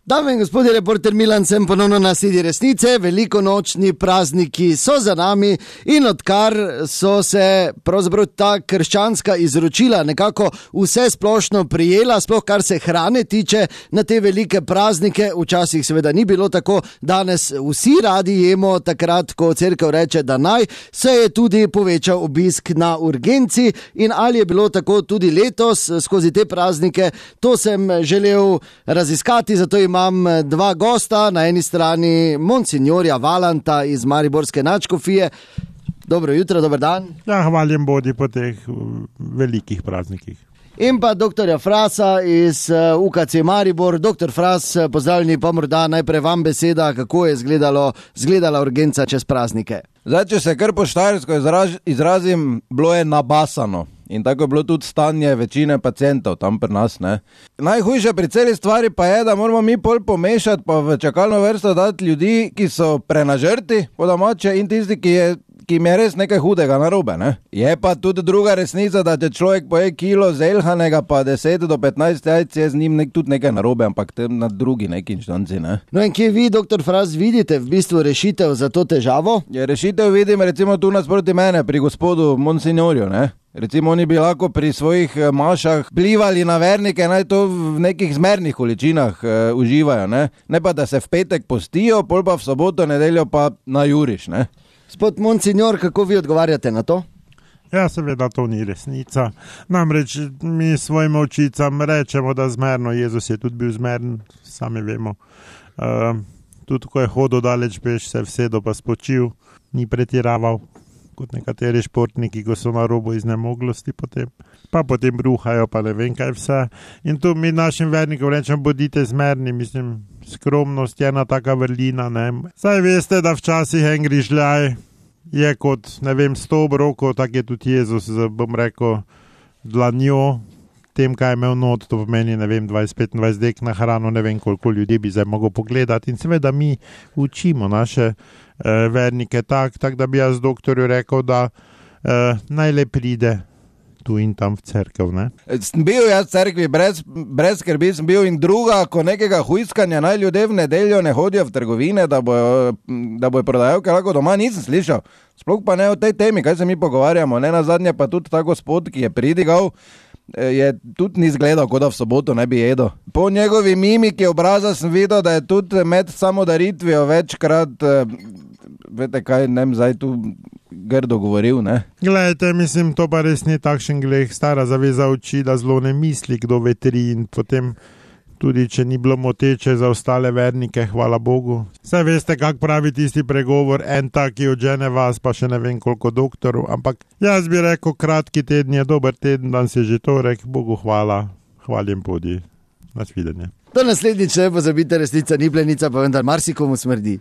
Dame in gospodje, reporter Milan sem ponovno na Sedi resnice. Velikonočni prazniki so za nami in odkar so se pravzaprav ta krščanska izročila nekako vse splošno prijela, sploh kar se hrane tiče na te velike praznike, včasih seveda ni bilo tako, danes vsi radi jemo takrat, ko cerkev reče, da naj, se je tudi povečal obisk na urgenci in ali je bilo tako tudi letos skozi te praznike, to sem želel raziskati, zato imam dva gosta, na eni strani monsignorja Valanta iz mariborske nadškofije. Dobro jutro, dober dan. Ja, hvaljen bodi po teh velikih praznikih. In pa doktorja Frasa iz UKC Maribor. Doktor Fras, pozdravljeni, pa morda najprej vam beseda, kako je izgledala urgenca čez praznike. Zdaj, če se kar po štajersko izrazim, bilo je nabasano. In tako je bilo tudi stanje večine pacientov tam pri nas, ne. Najhujše pri celi stvari pa je, da moramo mi pol pomešati pa v čakalno vrsto dati ljudi, ki so prenažrti po domače in tisti, ki jim je res nekaj hudega narobe, ne. Je pa tudi druga resnica, da če človek poje kilo zelhanega pa 10 do 15 jajc, je z njim tudi nekaj narobe, ampak tem na drugi neki inštanci, ne. No in kje vi, doktor Fras, vidite v bistvu rešitev za to težavo? Ja, rešitev vidim recimo tu nasproti mene, pri gospodu monsignorju, ne. Recimo oni bi lahko pri svojih mašah vplivali na vernike, naj to v nekih zmernih količinah uživajo, ne. Ne pa, da se v petek postijo, pol pa v soboto, nedeljo pa najuriš, ne. Gospod monsignor, kako vi odgovarjate na to? Ja, seveda to ni resnica. Namreč mi svojim očicam rečemo, da zmerno, Jezus je tudi bil zmeren, sami vemo. Tudi ko je hodil daleč peš, se vsedo pa spočil, ni pretiraval kot nekateri športniki, ko so na robu iznemoglosti potem. Pa potem bruhajo, pa ne vem kaj vse. In tu mi našim vernikom rečemo, bodite zmerni, mislim, skromnost je ena taka vrlina, ne. Saj veste, da včasih en grižljaj je kot, ne vem, 100 obrokov, tak je tudi Jezus, bom rekel, dlanjo, tem, kaj je imel not, to pomeni, ne vem, 20-25 dek na hrano, ne vem, koliko ljudi bi zdaj mogel pogledati. In seveda mi učimo naše vernike tak, da bi jaz doktorju rekel, da naj le pride tu in tam v cerkev, ne. Sem bil jaz v cerkvi, brez skrbi sem bil in druga, ko nekega hujskanja naj ljudje v nedeljo ne hodijo v trgovine, da bojo prodajalke lahko doma, nisem slišal. Sploh pa ne o tej temi, kaj se mi pogovarjamo, ne nazadnje pa tudi ta gospod, ki je pridigal, je tudi ni izgledal, kot da v soboto ne bi jedel. Po njegovi mimiki obraza sem videl, da je tudi med samodaritvijo večkrat, vete kaj, ne vem, zdaj tu grdo govoril, ne. Glejte, mislim, to pa res ni takšen greh, stara zaveza uči, da zelo ne misli, kdo vetri in potem tudi, če ni bilo moteče za ostale vernike, hvala Bogu. Saj veste, kak pravi tisti pregovor, en tak je odžene vas, pa še ne vem koliko doktorov, ampak jaz bi rekel, kratki teden je dober teden, danes je že torek, Bogu hvala, hvaljen bodi, nasvidenje. Do naslednjič ne pozabite, resnica ni plenica, pa vendar marsikomu smrdi.